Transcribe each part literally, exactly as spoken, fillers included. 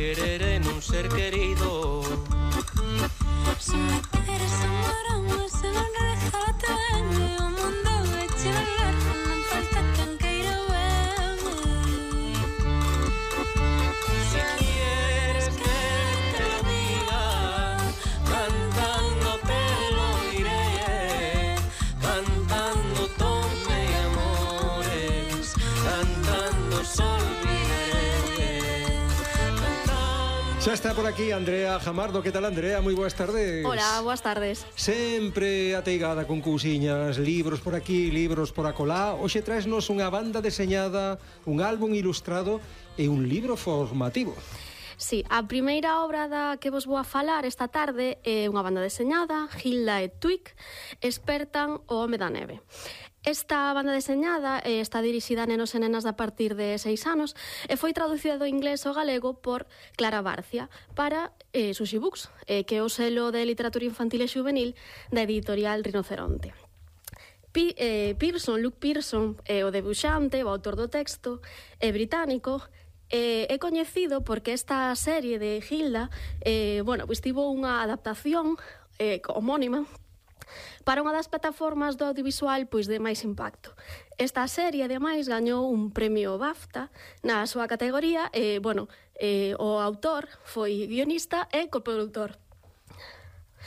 querer en un ser querido. Se me quieres amar, se non regálate ben, o mundo vai che velar, non falta quen queira verme. Si quieres que te lo diga, cantando te lo diré, cantando tome amores, cantando sol viviré, cantando. Xa está por aquí Andrea Jamardo. Que tal, Andrea? Moi boas tardes. Hola, boas tardes. Sempre ateigada con cousiñas, libros por aquí, libros por acolá. Hoxe traesnos unha banda deseñada, un álbum ilustrado e un libro formativo. Sí, a primeira obra da que vos vou a falar esta tarde é unha banda deseñada, Hilda e Twig, expertan o home da neve. Esta banda deseñada eh, está dirixida a nenos e nenas a partir de seis anos e foi traducida do inglés ao galego por Clara Barcia para eh, Sushi Books, eh, que é o selo de literatura infantil e juvenil da editorial Rinoceronte. P eh, Pearson, Luke Pearson, é o debuxante, o autor do texto, é británico, eh, é coñecido porque esta serie de Hilda eh, bueno, pues tivo unha adaptación eh, homónima para unha das plataformas do audiovisual pois de máis impacto. Esta serie, ademais, gañou un premio BAFTA na súa categoría e, bueno, eh, o autor foi guionista e coproductor.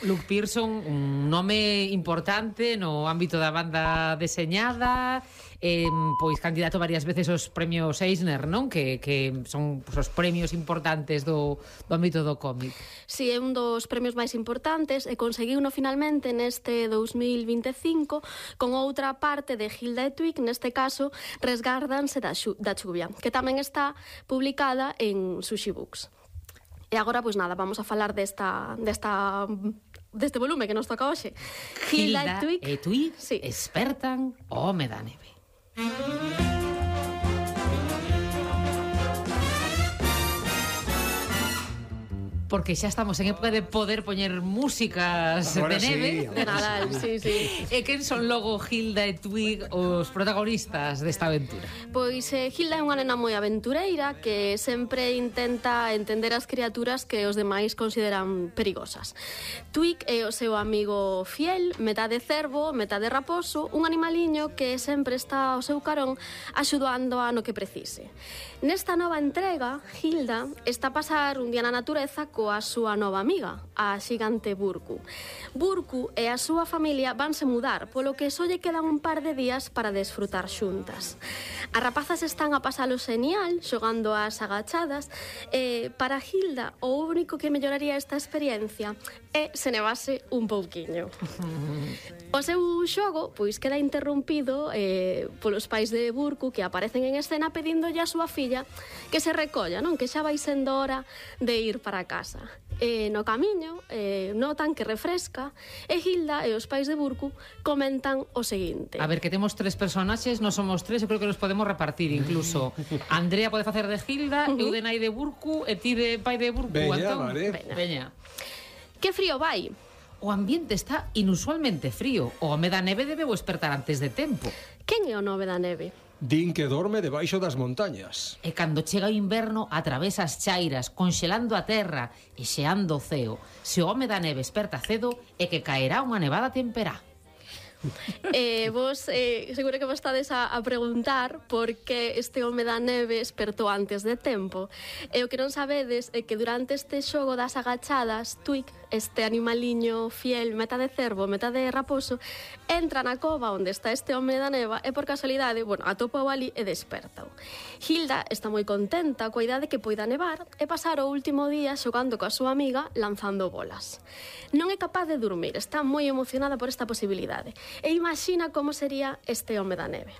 Luke Pearson, un nome importante no ámbito da banda deseñada, eh, pois candidato varias veces aos premios Eisner, non? Que, que son pues, os premios importantes do, do ámbito do cómic. Si, é un dos premios máis importantes e conseguiuno finalmente neste dous mil vinte e cinco con outra parte de Hilda e Twig, neste caso Resgárdanse da, xu, da chuvia, que tamén está publicada en Sushi Books. E agora, pois nada, vamos a falar desta, desta, deste volume que nos toca hoxe. Hilda, Hilda e Twig, e Twig sí. expertan o home da neve. Porque xa estamos en época de poder poñer músicas Ahora de neve. Sí, de Nadal, sí, sí. E quen son logo Hilda e Twig os protagonistas desta aventura? Pois eh, Hilda é unha nena moi aventureira que sempre intenta entender as criaturas que os demais consideran perigosas. Twig é o seu amigo fiel, metade cervo, metade raposo, un animaliño que sempre está ao seu carón axudando a no que precise. Nesta nova entrega, Hilda está a pasar un día na natureza coa súa nova amiga, a xigante Burku. Burku e a súa familia vanse mudar, polo que só lle quedan un par de días para desfrutar xuntas. As rapazas están a pasalo genial, xogando ás agachadas, e para Hilda o único que melloraría esta experiencia é se nevase un pouquiño. O seu xogo pois queda interrompido eh, polos pais de Burku que aparecen en escena pedíndolle a súa filla que se recolla, non? Que xa vai sendo hora de ir para casa. E no camiño eh, notan que refresca e Hilda e os pais de Burku comentan o seguinte. A ver, que temos tres personaxes, non somos tres, eu creo que nos podemos repartir incluso. Andrea pode facer de Hilda, uh -huh. eu de nai de Burku e ti de pai de Burku. Veña, Antón. vale. Veña. Veña. Que frío vai? O ambiente está inusualmente frío. O home da neve debe despertar antes de tempo. Quen é o nove da neve? Din que dorme debaixo das montañas. E cando chega o inverno atravesa as chairas, conxelando a terra e xeando o ceo. Se o home da neve esperta cedo é que caerá unha nevada temperá. eh, vos eh, seguro que vos estades a, a preguntar por que este home da neve espertou antes de tempo. E o que non sabedes é que durante este xogo das agachadas, Twig, este animaliño fiel, metade cervo, metade raposo, entra na cova onde está este home da neva e por casualidade, bueno, atopa o ali e desperta. Hilda está moi contenta coa idea de que poida nevar e pasar o último día xogando coa súa amiga lanzando bolas. Non é capaz de dormir, está moi emocionada por esta posibilidade e imagina como sería este home da neve.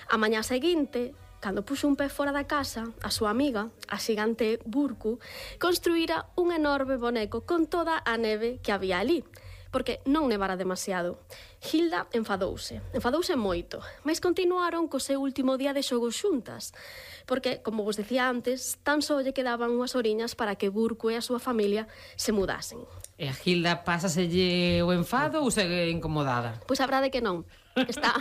A mañá seguinte, cando puxo un pé fora da casa, a súa amiga, a xigante Burku, construíra un enorme boneco con toda a neve que había ali, porque non nevara demasiado. Hilda enfadouse, enfadouse moito, mas continuaron co seu último día de xogos xuntas, porque, como vos decía antes, tan só lle quedaban unhas horiñas para que Burku e a súa familia se mudasen. E a Hilda pásaselle o enfado ou segue incomodada? Pois a verdade que non. Está,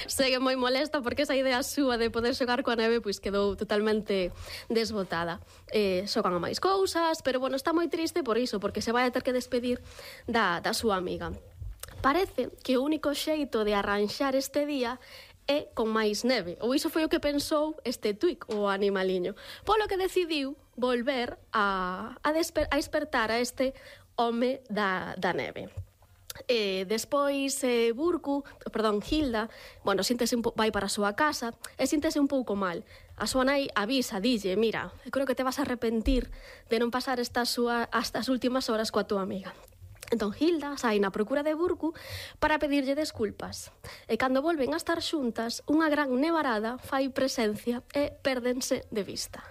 segue moi molesta porque esa idea súa de poder xogar coa neve pois quedou totalmente desbotada. Eh, xogan a máis cousas, pero bueno, está moi triste por iso, porque se vai a ter que despedir da, da súa amiga. Parece que o único xeito de arranxar este día é con máis neve. Ou iso foi o que pensou este Twig, o animaliño. Polo que decidiu volver a, a, desper, a despertar a este home da, da neve. Eh, despois eh, Burku, perdón, Hilda, bueno, síntese un po, vai para a súa casa e síntese un pouco mal. A súa nai avisa, dille, mira, eu creo que te vas a arrepentir de non pasar estas, súa, estas últimas horas coa túa amiga. Entón Hilda sai na procura de Burku para pedirlle desculpas. E cando volven a estar xuntas, unha gran nevarada fai presencia e pérdense de vista.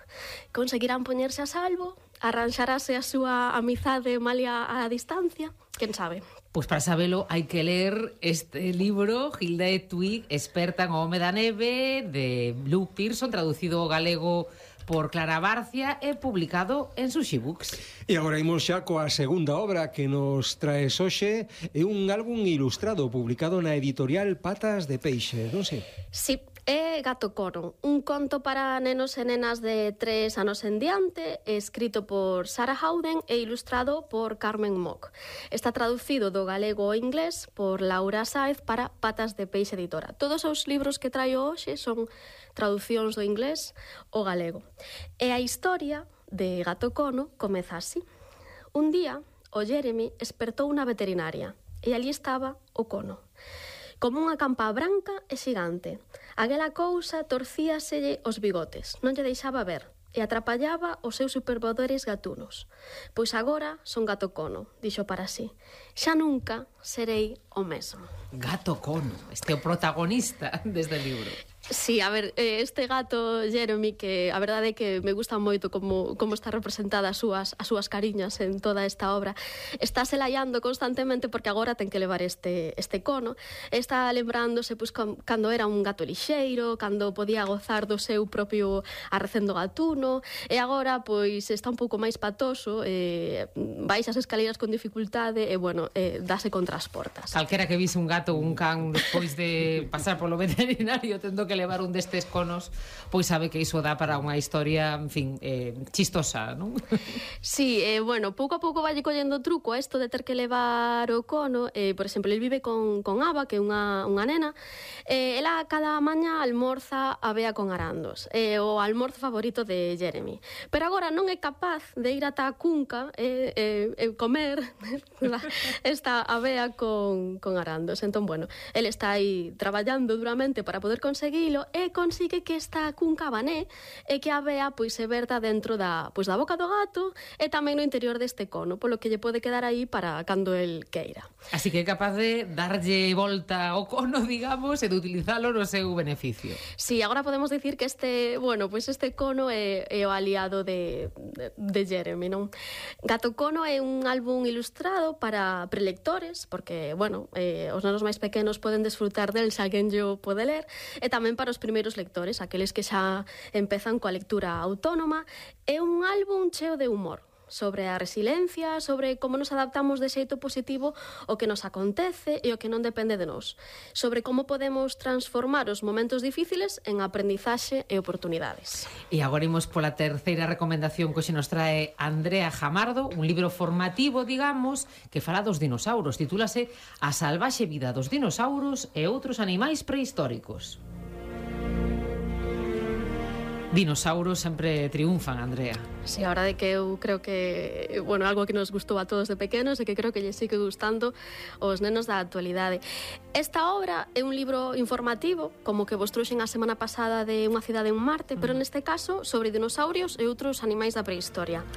Conseguirán poñerse a salvo? Arranxarase a súa amizade malia a distancia? Quen sabe? Pois para sabelo hai que ler este libro, Hilda e Twig, experta en O home da neve, de Luke Pearson, traducido ao galego por Clara Barcia e publicado en Sushi Books. E agora imos xa coa segunda obra que nos traes hoxe. É un álbum ilustrado publicado na editorial Patas de Peixe, non sei? Sí, é Gato Cono, un conto para nenos e nenas de tres anos en diante, escrito por Sarah Howden e ilustrado por Carmen Mock. Está traducido do galego ao inglés por Laura Sáez para Patas de Peixe Editora. Todos os libros que traio hoxe son traducións do inglés ao galego. E a historia de Gato Cono comeza así. Un día, o Jeremy espertou unha veterinaria e ali estaba o cono, como unha campa branca e xigante. Aquela cousa torcíaselle os bigotes, non lle deixaba ver, e atrapallaba os seus superpoderes gatunos. Pois agora son Gato Cono, dixo para sí. Xa nunca serei o mesmo. Gato Cono, este é o protagonista deste libro. Sí, a ver, este gato Jeremy, que a verdade é que me gusta moito como, como está representada as súas, as súas cariñas en toda esta obra, está se laiando constantemente porque agora ten que levar este, este cono, está lembrándose pois, com, cando era un gato lixeiro, cando podía gozar do seu propio arrecendo gatuno, e agora pois está un pouco máis patoso, eh, baixa as escaleras con dificultade e, bueno, eh, dase contra as portas. Calquera que vise un gato ou un can despois de pasar polo veterinario tendo que levar un destes conos, pois sabe que iso dá para unha historia, en fin, eh, chistosa, non? Sí, eh, bueno, pouco a pouco vai collendo truco a isto de ter que levar o cono. Eh, por exemplo, el vive con, con Ava, que é unha, unha nena. Eh, ela cada maña almorza a avea con arandos, eh, o almorzo favorito de Jeremy. Pero agora non é capaz de ir ata a cunca e eh, eh, comer esta avea con, con arandos. Entón, bueno, el está aí traballando duramente para poder conseguir e consigue que esta cunca bané e que a avea pois se verta dentro da, pois, da boca do gato e tamén no interior deste cono, polo que lle pode quedar aí para cando el queira. Así que é capaz de darlle volta ao cono, digamos, e de utilizalo no seu beneficio. Sí, agora podemos dicir que este, bueno, pois este cono é, é o aliado de, de, de Jeremy, non? Gato Cono é un álbum ilustrado para prelectores, porque, bueno, eh, os nenos máis pequenos poden desfrutar del, se alguén yo pode ler, e tamén para os primeiros lectores, aqueles que xa empezan coa lectura autónoma. É un álbum cheo de humor, sobre a resiliencia, sobre como nos adaptamos de xeito positivo ao que nos acontece e o que non depende de nós, sobre como podemos transformar os momentos difíciles en aprendizaxe e oportunidades. E agora imos pola terceira recomendación que hoxe nos trae Andrea Jamardo, un libro formativo, digamos, que fala dos dinosauros. Titúlase A salvaxe vida dos dinosauros e outros animais prehistóricos. Dinosauros sempre triunfan, Andrea. Sí, a verdade que eu creo que, bueno, algo que nos gustou a todos de pequenos e que creo que lle sigue gustando aos nenos da actualidade. Esta obra é un libro informativo, como que vos trouxen a semana pasada de Unha cidade en Marte, pero neste caso sobre dinosaurios e outros animais da prehistoria.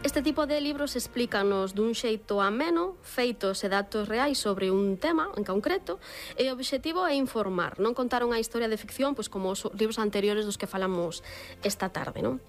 Este tipo de libros explícanos dun xeito ameno, feitos e datos reais sobre un tema en concreto, e o obxectivo é informar, non contar unha historia de ficción, pois como os libros anteriores dos que falamos esta tarde, non?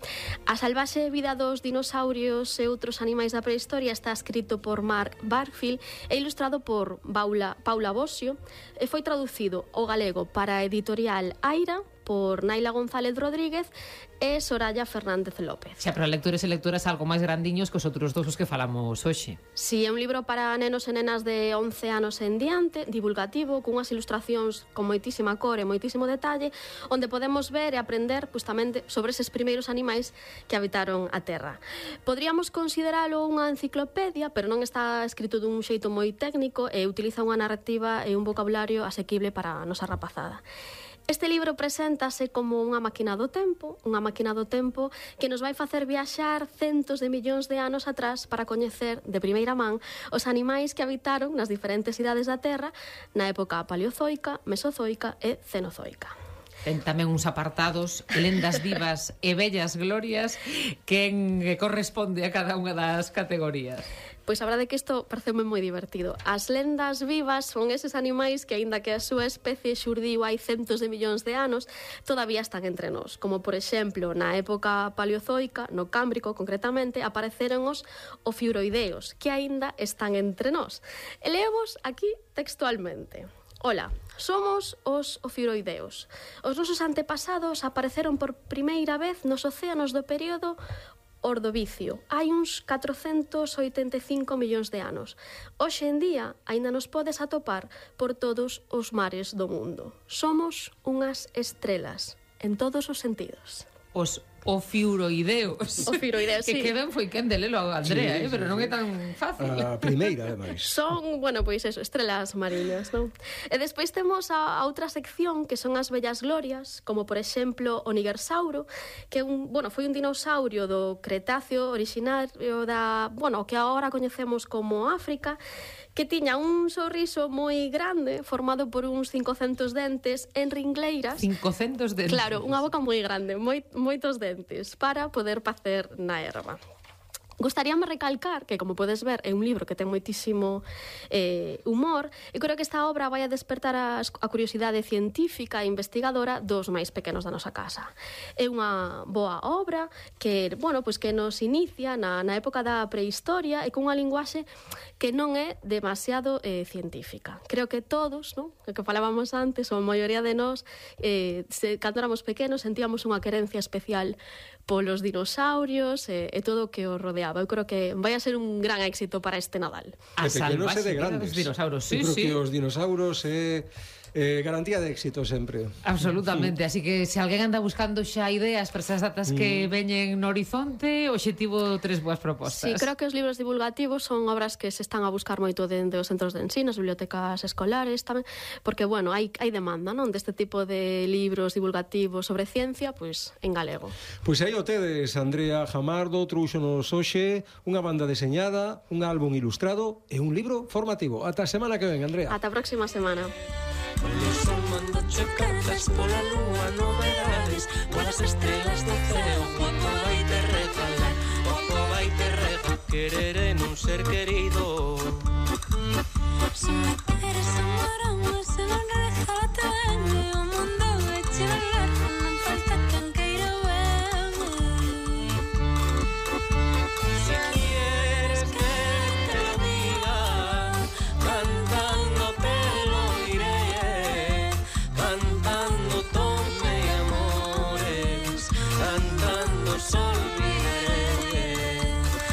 A salvaxe vida dos dinosaurios e outros animais da prehistoria está escrito por Mark Barfield e ilustrado por Paula, Paula Bosio, e foi traducido ao galego para a editorial Aira por Naila González Rodríguez e Soraya Fernández López. Xa, pero lectores e lectoras algo máis grandiños que os outros dous os que falamos hoxe. Si, é un libro para nenos e nenas de once anos en diante, divulgativo, cunhas ilustracións con moitísima cor e moitísimo detalle, onde podemos ver e aprender justamente sobre eses primeiros animais que habitaron a Terra. Podríamos consideralo unha enciclopedia, pero non está escrito dun xeito moi técnico e utiliza unha narrativa e un vocabulario asequible para a nosa rapazada. Este libro preséntase como unha máquina do tempo, unha máquina do tempo que nos vai facer viaxar centos de millóns de anos atrás para coñecer de primeira man os animais que habitaron nas diferentes idades da Terra na época paleozoica, mesozoica e cenozoica. Ten tamén uns apartados, lendas vivas e bellas glorias, que corresponde a cada unha das categorías. Pois a verdade é que isto pareceume moi divertido. As lendas vivas son eses animais que, aínda que a súa especie xurdiu hai centos de millóns de anos, todavía están entre nós. Como, por exemplo, na época paleozoica, no Cámbrico, concretamente, apareceron os ofiuroideos, que aínda están entre nós. E leevos aquí textualmente. Ola, somos os ofiuroideos. Os nosos antepasados apareceron por primeira vez nos océanos do período Ordovicio, hai uns catrocentos oitenta e cinco millóns de anos. Hoxe en día, aínda nos podes atopar por todos os mares do mundo. Somos unhas estrelas, en todos os sentidos. Os ofiuroideos. Ofiuroideos, sí. Que queden foi quen de lelo a Andrea, Sí, eh? sí, pero non sí. é tan fácil. A primeira, ademais. Son, bueno, pois eso, estrelas mariñas, non? E despois temos a, a outra sección que son as bellas glorias, como por exemplo o Nigersauro, que un, bueno, foi un dinosaurio do Cretáceo originario da, bueno, que agora coñecemos como África, que tiña un sorriso moi grande, formado por uns cincocentos dentes en ringleiras. cincocentos dentes. Claro, unha boca moi grande, moi, moitos dentes, para poder pacer na erva. Gostaríame recalcar que, como podes ver, é un libro que ten moitísimo eh, humor, e creo que esta obra vai a despertar a, a curiosidade científica e investigadora dos máis pequenos da nosa casa. É unha boa obra que, bueno, pois que nos inicia na, na época da prehistoria e cunha linguaxe que non é demasiado eh, científica. Creo que todos, non? O que falábamos antes, ou a maioría de nós, eh, se, cando éramos pequenos, sentíamos unha querencia especial polos dinosaurios e, e todo o que os rodeaba. Eu creo que vai a ser un gran éxito para este Nadal. A De pequenos e de salvaxe vida grandes. dos dinosaurios. Sí, Eu creo sí. que os dinosaurios é eh, garantía de éxito sempre. Absolutamente, así que se alguén anda buscando xa ideas para esas datas que veñen no horizonte, o obxectivo tres boas propostas. Sí, creo que os libros divulgativos son obras que se están a buscar moito dende os centros de ensino, as bibliotecas escolares tamén, porque, bueno, hai, hai demanda, non, deste tipo de libros divulgativos sobre ciencia, pois en galego. Pois aí o tedes, Andrea Jamardo, trouxonos hoxe unha banda deseñada, un álbum ilustrado e un libro formativo. Ata a semana que ven, Andrea. Ata a próxima semana. Polo sol mandoche cartas, pola lúa novedades, polas estrellas do ceo, oco vai te regalar, oco vai te regalar, querer e non ser querido. Si me quieres amar, se non regálate venme, o mundo vai che velar, non falta quen queira verme. Si quieres que te lo diga, cantando te lo diré, cantando tome amores, cantando sol viviré,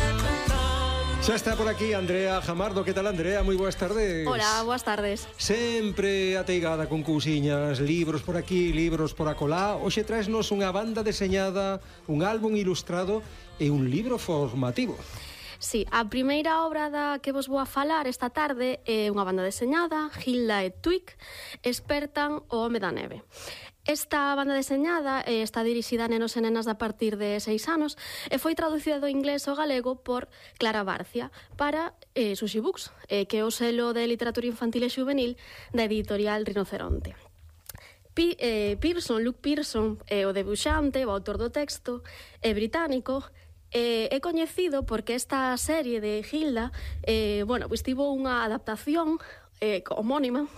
cantando. Xa está por aquí Andrea Jamardo. Que tal, Andrea? Moi boas tardes. Hola, boas tardes. Sempre ateigada con cousiñas, libros por aquí, libros por acolá. Hoxe traesnos unha banda deseñada, un álbum ilustrado e un libro formativo. Sí, a primeira obra da que vos vou a falar esta tarde é unha banda deseñada, Hilda e Twig, expertan o home da neve. Esta banda deseñada eh, está dirixida a nenos e nenas a partir de seis anos e foi traducida do inglés ao galego por Clara Barcia para eh, Sushi Books, eh, que é o selo de literatura infantil e juvenil da editorial Rinoceronte. P eh, Pearson, Luke Pearson, é o debuxante, o autor do texto, é británico, eh, é coñecido porque esta serie de Hilda eh, bueno, pois tivo unha adaptación eh, homónima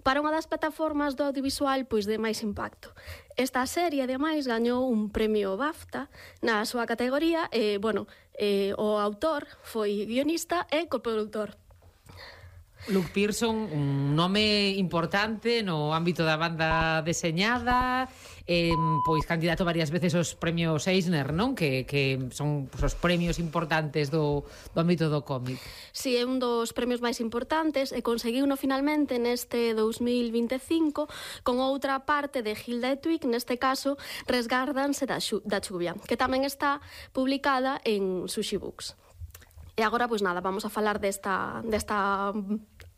para unha das plataformas do audiovisual pois de máis impacto. Esta serie, ademais, gañou un premio BAFTA na súa categoría e, bueno, eh, o autor foi guionista e coproductor. Luke Pearson, un nome importante no ámbito da banda deseñada, eh, pois candidato varias veces aos premios Eisner, non? Que, que son pues, os premios importantes do, do ámbito do cómic. Si, é un dos premios máis importantes e conseguiuno finalmente neste dous mil vinte e cinco con outra parte de Hilda e Twig, neste caso Resgárdanse da, xu, da chuvia, que tamén está publicada en Sushi Books. E agora, pois nada, vamos a falar desta, desta,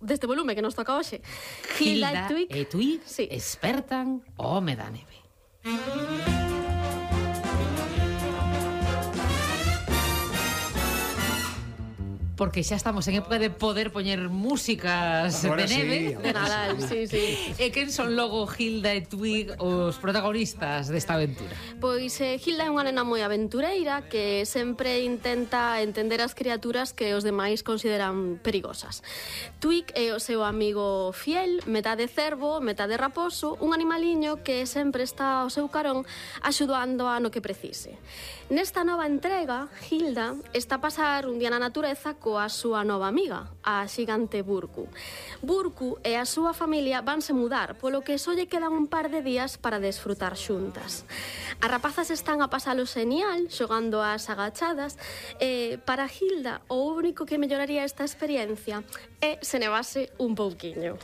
deste volume que nos toca hoxe. Hilda, Hilda e Twig, e Twig sí. Espertan o Home da Neve. Porque xa estamos en época de poder poñer músicas Ahora de neve. sí, De Nadal, sí, sí. E quen son logo Hilda e Twig os protagonistas desta aventura? Pois eh, Hilda é unha nena moi aventureira que sempre intenta entender as criaturas que os demais consideran perigosas. Twig é o seu amigo fiel, metade cervo, metade raposo, un animaliño que sempre está ao seu carón axudando a no que precise. Nesta nova entrega, Hilda está a pasar un día na natureza coa súa nova amiga, a xigante Burku. Burku e a súa familia vanse mudar, polo que só lle quedan un par de días para desfrutar xuntas. As rapazas están a pasalo genial, xogando ás agachadas, e para Hilda o único que melloraría esta experiencia é se nevase un pouquiño.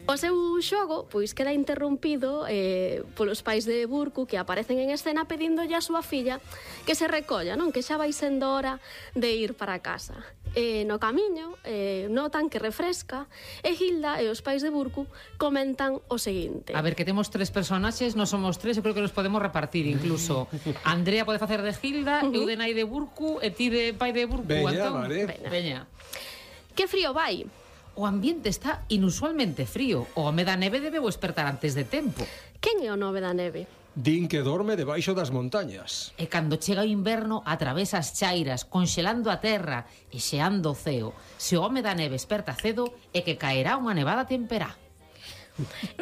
O seu xogo pois queda interrompido eh, polos pais de Burku que aparecen en escena pedíndolle a súa filla que se recolla, non? Que xa vai sendo hora de ir para casa. E no camiño eh, notan que refresca e Hilda e os pais de Burku comentan o seguinte. A ver, que temos tres personaxes, non somos tres, eu creo que nos podemos repartir incluso. Andrea pode facer de Hilda, uh-huh. eu de nai de Burku e ti de pai de Burku. Veña, Antón. vale. Veña. Veña. Que frío vai? O ambiente está inusualmente frío. O home da neve debeu espertar antes de tempo. Quen é o nove da neve? Din que dorme debaixo das montañas. E cando chega o inverno atravesa as chairas, conxelando a terra e xeando o ceo. Se o home da neve esperta cedo é que caerá unha nevada temperá.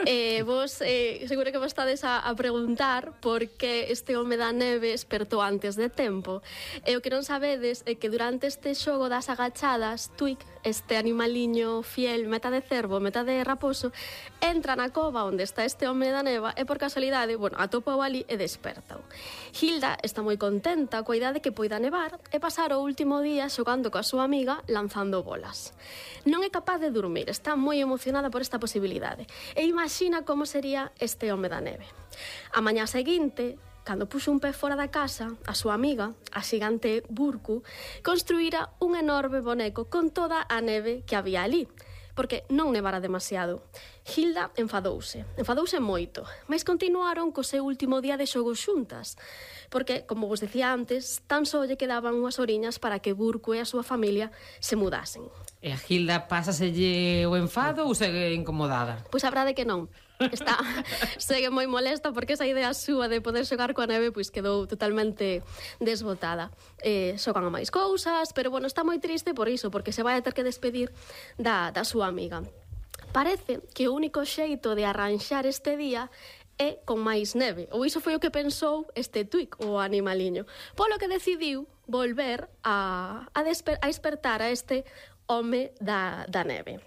Eh, vos eh, seguro que vos estades a, a preguntar por que este home da neve espertou antes de tempo. E o que non sabedes é que durante este xogo das agachadas, Twig, este animaliño fiel, metade cervo, metade raposo, entra na cova onde está este home da neva e por casualidade, bueno, atopou ali e desperta. Hilda está moi contenta coa idea de que poida nevar e pasar o último día xogando coa súa amiga lanzando bolas. Non é capaz de dormir, está moi emocionada por esta posibilidade e imagina como sería este home da neve. A mañá seguinte, cando puxo un pé fora da casa, a súa amiga, a xigante Burku, construíra un enorme boneco con toda a neve que había ali, porque non nevara demasiado. Hilda enfadouse, enfadouse moito, mas continuaron co seu último día de xogo xuntas, porque, como vos decía antes, tan só lle quedaban unhas horiñas para que Burku e a súa familia se mudasen. E a Hilda pásaselle o enfado ou segue incomodada? Pois a verdade que non. Está, segue moi molesta porque esa idea súa de poder xogar coa neve pois quedou totalmente desbotada. Eh, xogan a máis cousas, pero bueno, está moi triste por iso, porque se vai a ter que despedir da, da súa amiga. Parece que o único xeito de arranxar este día é con máis neve, ou iso foi o que pensou este Twig, o animaliño, polo que decidiu volver a, a, desper, a despertar a este home da, da neve.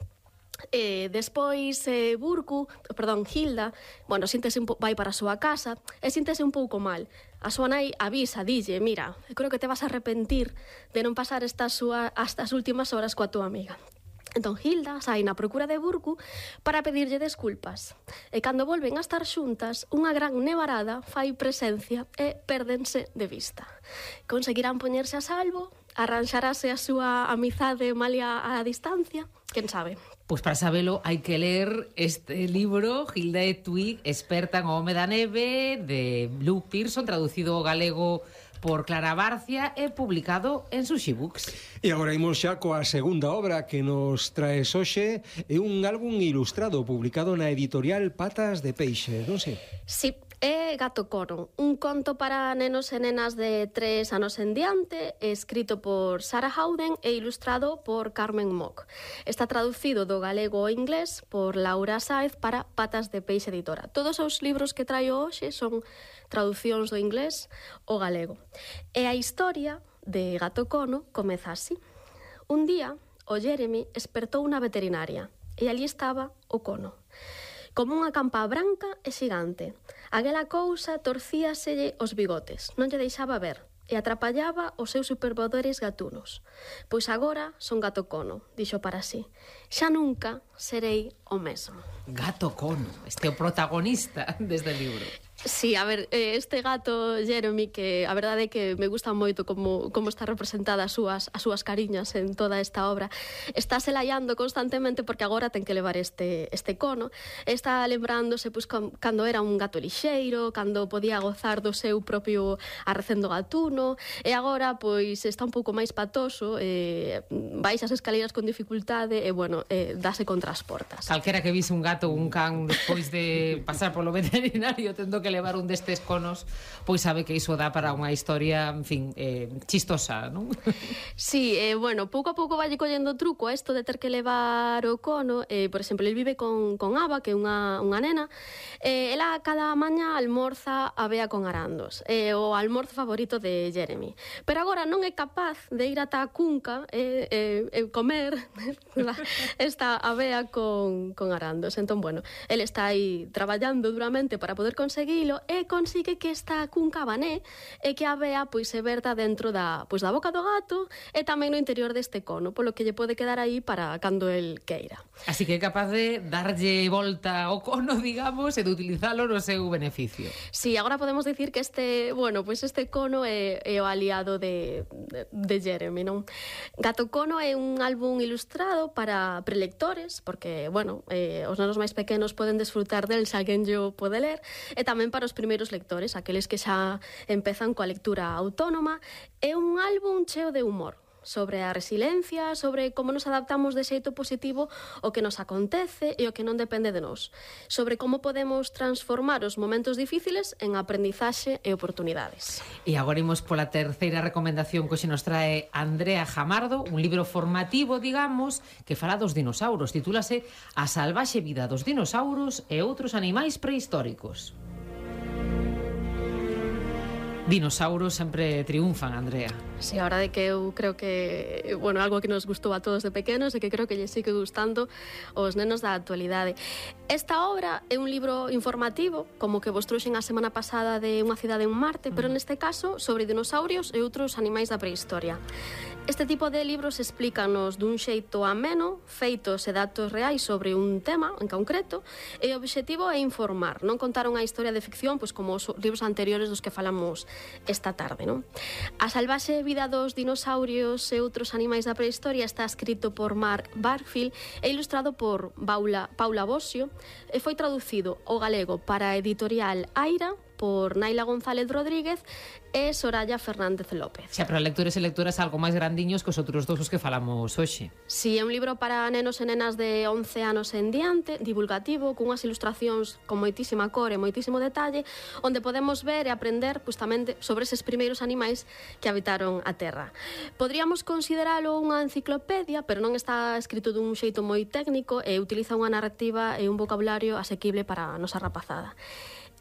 E despois eh, Burku, perdón, Hilda, bueno, síntese un po- vai para a súa casa e síntese un pouco mal. A súa nai avisa, dille, mira, creo que te vas a arrepentir de non pasar estas, súa, estas últimas horas coa tua amiga. Entón Hilda sai na procura de Burku para pedirlle desculpas. E cando volven a estar xuntas, unha gran nevarada fai presencia e pérdense de vista. Conseguirán poñerse a salvo? Arranxarase a súa amizade malia a distancia? Quen sabe? Pois para sabelo hai que ler este libro, Hilda e Twig, experta en o home da neve, de Luke Pearson, traducido ao galego por Clara Barcia e publicado en Sushi Books. E agora imos xa coa segunda obra que nos traes hoxe, é un álbum ilustrado publicado na editorial Patas de Peixe, non sei? Sí, é Gato Cono, un conto para nenos e nenas de tres anos en diante, escrito por Sarah Howden e ilustrado por Carmen Mock. Está traducido do galego ao inglés por Laura Sáez para Patas de Peixe Editora. Todos os libros que traio hoxe son traducións do inglés ao galego. E a historia de Gato Cono comeza así. Un día, o Jeremy espertou na veterinaria e ali estaba o cono. Como unha campa branca e xigante. Aquela cousa torcíaselle os bigotes, non lle deixaba ver, e atrapallaba os seus superpoderes gatunos. Pois agora son gato cono, dixo para sí. Xa nunca serei o mesmo. Gato cono, este é o protagonista deste libro. Sí, a ver, este gato Jeremy, que a verdade é que me gusta moito como, como está representada as súas, as súas cariñas en toda esta obra, está se laiando constantemente porque agora ten que levar este, este cono, está lembrándose pois, com, cando era un gato lixeiro, cando podía gozar do seu propio arrecendo gatuno, e agora pois está un pouco máis patoso, eh, baixa as escaleiras con dificultade e, bueno, eh, dase contra as portas. Calquera que vise un gato ou un can despois de pasar polo veterinario tendo que levar un destes conos, pois sabe que iso dá para unha historia, en fin, eh, chistosa, non? Sí, eh, bueno, pouco a pouco vai collendo truco a isto de ter que levar o cono. Eh, por exemplo, ele vive con, con Ava, que é unha, unha nena. Eh, ela cada maña almorza a bea con arandos, eh, o almorzo favorito de Jeremy. Pero agora non é capaz de ir ata a cunca e eh, eh, comer esta avea con, con arandos. Entón, bueno, ele está aí traballando duramente para poder conseguir e consigue que esta cunca bané e que a avea pois se verta dentro da, pois, da boca do gato e tamén no interior deste cono, polo que lle pode quedar aí para cando el queira. Así que é capaz de darlle volta ao cono, digamos, e de utilizalo no seu beneficio. Sí, agora podemos dicir que este, bueno, pois este cono é, é o aliado de, de, de Jeremy, non? Gato Cono é un álbum ilustrado para prelectores, porque, bueno, eh, os nenos máis pequenos poden desfrutar del se alguén yo pode ler, e tamén para os primeiros lectores, aqueles que xa empezan coa lectura autónoma. É un álbum cheo de humor, sobre a resiliencia, sobre como nos adaptamos de xeito positivo ao que nos acontece e o que non depende de nós, sobre como podemos transformar os momentos difíciles en aprendizaxe e oportunidades. E agora imos pola terceira recomendación que hoxe nos trae Andrea Jamardo, un libro formativo, digamos, que fala dos dinosauros. Titúlase A salvaxe vida dos dinosauros e outros animais prehistóricos. Dinosauros sempre triunfan, Andrea. Sí, a verdade que eu creo que, bueno, algo que nos gustou a todos de pequenos e que creo que lle sigue gustando aos nenos da actualidade. Esta obra é un libro informativo, como que vos trouxen a semana pasada de Unha cidade en Marte, pero neste caso sobre dinosaurios e outros animais da prehistoria. Este tipo de libros explícanos dun xeito ameno, feitos e datos reais sobre un tema en concreto, e o obxectivo é informar, non contar unha historia de ficción, pois como os libros anteriores dos que falamos esta tarde, non? A salvaxe vida dos dinosaurios e outros animais da prehistoria está escrito por Mark Barfield e ilustrado por Paula, Paula Bosio, e foi traducido ao galego para a editorial Aira por Naila González Rodríguez e Soraya Fernández López. Xa, pero lectores e lectoras algo máis grandiños que os outros dos os que falamos hoxe. Si, sí, é un libro para nenos e nenas de once anos en diante, divulgativo, cunhas ilustracións con moitísima cor e moitísimo detalle, onde podemos ver e aprender justamente sobre eses primeiros animais que habitaron a Terra. Podríamos consideralo unha enciclopedia, pero non está escrito dun xeito moi técnico e utiliza unha narrativa e un vocabulario asequible para a nosa rapazada.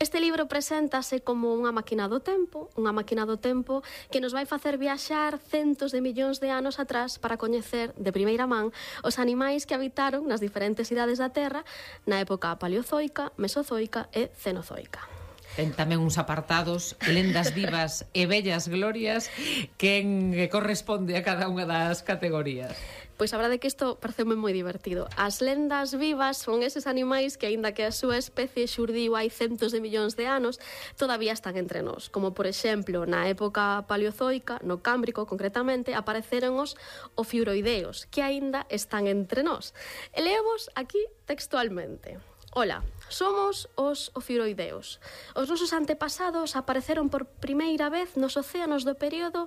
Este libro preséntase como unha máquina do tempo, unha máquina do tempo que nos vai facer viaxar centos de millóns de anos atrás para coñecer de primeira man os animais que habitaron nas diferentes idades da Terra na época paleozoica, mesozoica e cenozoica. Ten tamén uns apartados, lendas vivas e bellas glorias, que corresponde a cada unha das categorías. Pois a verdade é que isto pareceume moi divertido. As lendas vivas son eses animais que, aínda que a súa especie xurdiu hai centos de millóns de anos, todavía están entre nós. Como, por exemplo, na época paleozoica, no Cámbrico concretamente, apareceron os ofiuroideos, que aínda están entre nós. E leevos aquí textualmente. Ola, somos os ofiuroideos. Os nosos antepasados apareceron por primeira vez nos océanos do período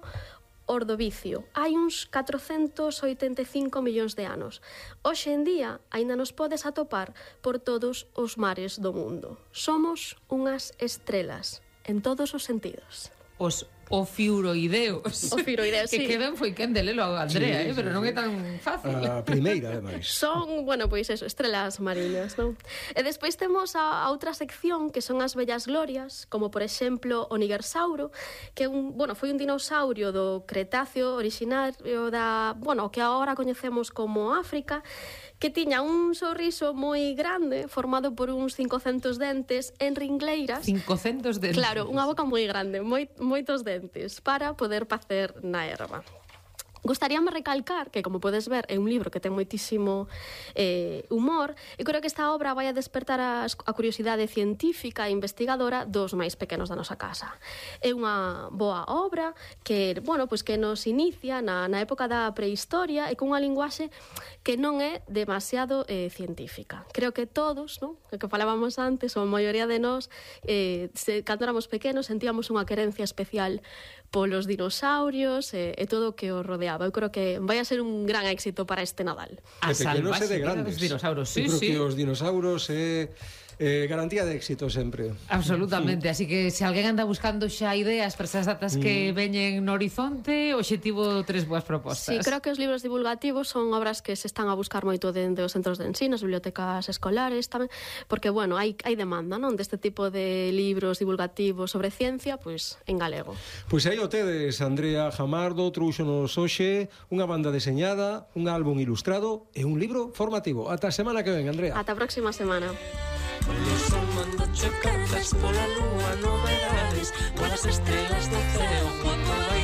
Ordovicio, hai uns catrocentos oitenta e cinco millóns de anos. Hoxe en día, aínda nos podes atopar por todos os mares do mundo. Somos unhas estrelas, en todos os sentidos. Os o fiuroideos. O fiuroideos, que sí. Que ben foi quen de lelo a Andrea, Sí, eh, sí, pero non sí. é tan fácil. A primeira, ademais. Son, bueno, pois eso, estrelas mariñas, non? E despois temos a, a outra sección que son as bellas glorias, como por exemplo o Nigersauro, que é un, bueno, foi un dinosaurio do Cretáceo originario da, bueno, que agora coñecemos como África, que tiña un sorriso moi grande, formado por uns cincocentos dentes en ringleiras. cincocentos dentes. Claro, unha boca moi grande, moi, moitos dentes, para poder pacer na erva. Gostaríame recalcar que, como podes ver, é un libro que ten moitísimo eh, humor, e creo que esta obra vai a despertar a, a curiosidade científica e investigadora dos máis pequenos da nosa casa. É unha boa obra que, bueno, pois que nos inicia na, na época da prehistoria e cunha linguaxe que non é demasiado eh, científica. Creo que todos, non? O que falábamos antes, ou a maioría de nós, eh, se, cando éramos pequenos, sentíamos unha querencia especial polos dinosaurios e, e todo o que os rodeaba. Eu creo que vai a ser un gran éxito para este Nadal. A De pequenos e de salvaxe vida grandes. dos dinosaurios, sí, Eu creo sí. que os dinosaurios é eh, garantía de éxito sempre. Absolutamente, así que se alguén anda buscando xa ideas para esas datas que veñen no horizonte, o obxectivo tres boas propostas. Sí, creo que os libros divulgativos son obras que se están a buscar moito dende os centros de ensino, as bibliotecas escolares tamén, porque, bueno, hai, hai demanda, non, deste tipo de libros divulgativos sobre ciencia, pois, en galego. Pois aí o tedes, Andrea Jamardo, trouxonos hoxe unha banda deseñada, un álbum ilustrado e un libro formativo. Ata a semana que ven, Andrea. Ata a próxima semana. Polo sol mando chocarlas, pola lúa novedades, polas estrelas do ceo, cuando vai